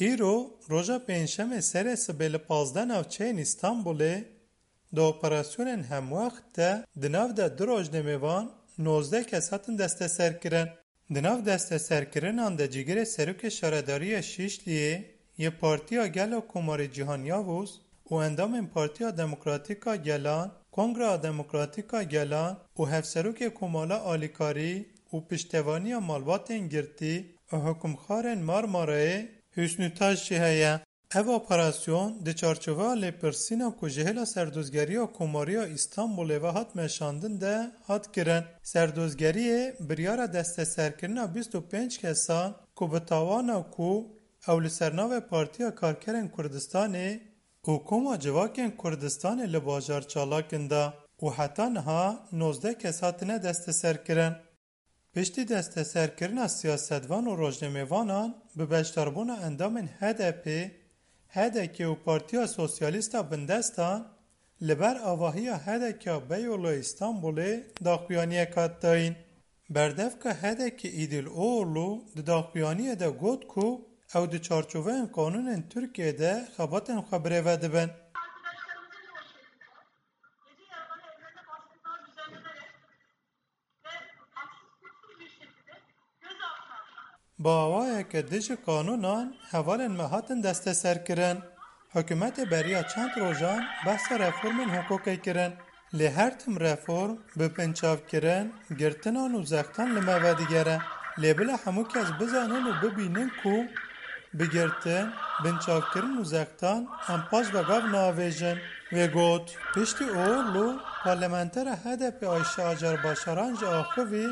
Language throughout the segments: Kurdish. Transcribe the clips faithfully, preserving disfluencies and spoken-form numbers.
Îro roja Pêncşemê serê sibê li pazdeh navçeyên Îstanbulê di operasyonên hemwext de di nav de du rojnamevan nozdeh kes hatin desteserkirin. Di nav desteserkirinan de cîgirê serokê şaredariya Şîşliyê yê Partiya Gel a Komarê Cîhan Yavuz û endamên Partiya Demokratîk a Gelan, Kongreya Demokratîk a Gelan û Hevserokê Komala Alîkarî û piştevaniya malbatên girtî û hikûmxarên Marmarayê Hüsnü Taş jî heye. Ev operasyon di çarçoveya lêpirsîna ku ji hêla serdozgeriya Komariya Îstanbulê ve hat meşandin de hat kirin. Serdozgeriyê biryara desteserkirina bîst û pênc kesan ku bi tawana ku ew li ser navê Partiya Karkerên Kurdistanê û Koma Civakên Kurdistanê li bajar çalak in da û heta niha nozdeh kes hatine desteserkirin. Piştî desteserkirina siyasetvan û rojnamevanan bi beşdarbûna endamên H D P, H D K û Partiya Sosyalîst a Bindestan, li ber avahiya H D K a Beyoğlu ya Îstanbulê daxuyaniyek hat dayîn. Berdevka H D K Îdil Oğurlu di daxuyaniyê de got ku ew di çarçoveyên qanûnên Tirkiyê de xebatên xwe birêve dibin. Bi awayeke dijî qanûnan hevalên me hatin desteserkirin. Hikûmetê beriya çend rojan behsa reformên hiqûqê kirin. Lê her tim reform bi binçavkirin, girtinan û zextan li me vedigere. Lê bila hemû kes bizanin û bibînin ku bi girtin, binçavkirin û zextan em paş ve gav naavêjin. Wê got, piştî Oğurlu, parlamentera H D P Ayşe Acar Başaran jî axivî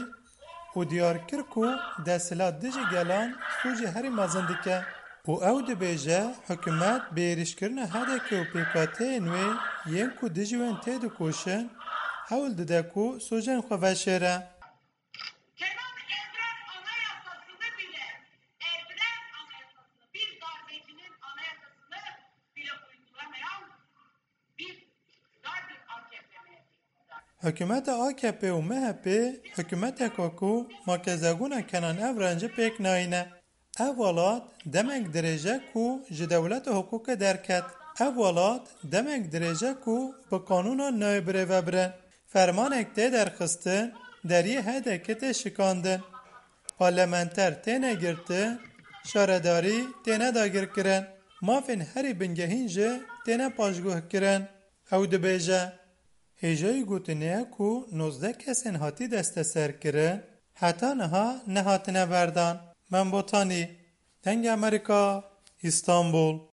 û diyar kir ku desthilat dijî gelan sûcê herî mezin dike û ew dibêje, hikûmet bi êrîşkirina H D K û pêkhateyên wê yên ku dijî wen têdikoşin, hewl dide ku sûcên xwe veşêre. Kemal Evren Anayasasını bile, Evren Anayasasını, bir darbecinin anayasasını bile uygulamayan bir iktidar, bir A K P M H P iktidarı. Hikûmeta A K P û M H P hikûmeteka ku makezagûna Kenan Evren jî pêk nayîne. Ev welat demek dirêj e ku ji dewleta hiqûqê derket. Ev welat demek dirêj e ku bi qanûnan nayê birêvebirin. Fermanek tê derxistin, deriyê H D K tê şikandin. Parlamenter têne girtin, şaredarî têne dagirkirin. Mafên herî bingehîn jî têne paşguhkirin. Ew dibêje, hêjayî gotinê ye ku nozdeh kesên hatî desteserkirin heta niha nehatine berdan. Membotanî, Dengê Amerîka, Îstanbul.